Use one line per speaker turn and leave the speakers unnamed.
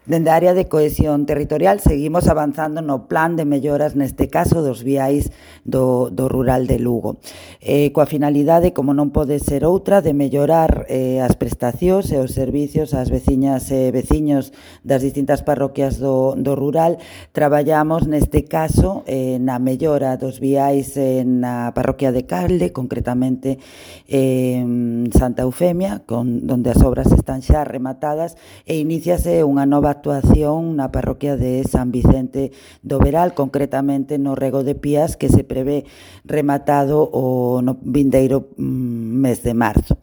Dende a área de cohesión territorial seguimos avanzando no plan de melloras, neste caso, dos viais do rural de Lugo. Coa finalidade, como non pode ser outra, de mellorar as prestacións e os servicios ás veciñas e veciños das distintas parroquias do rural. Traballamos neste caso na mellora dos viais na parroquia de Calde, concretamente Santa Eufemia, donde as obras están xa rematadas, e iníciase unha nova actuación na parroquia de San Vicente do Veral, concretamente no rego de Pías, que se prevé rematado no vindeiro mes de marzo.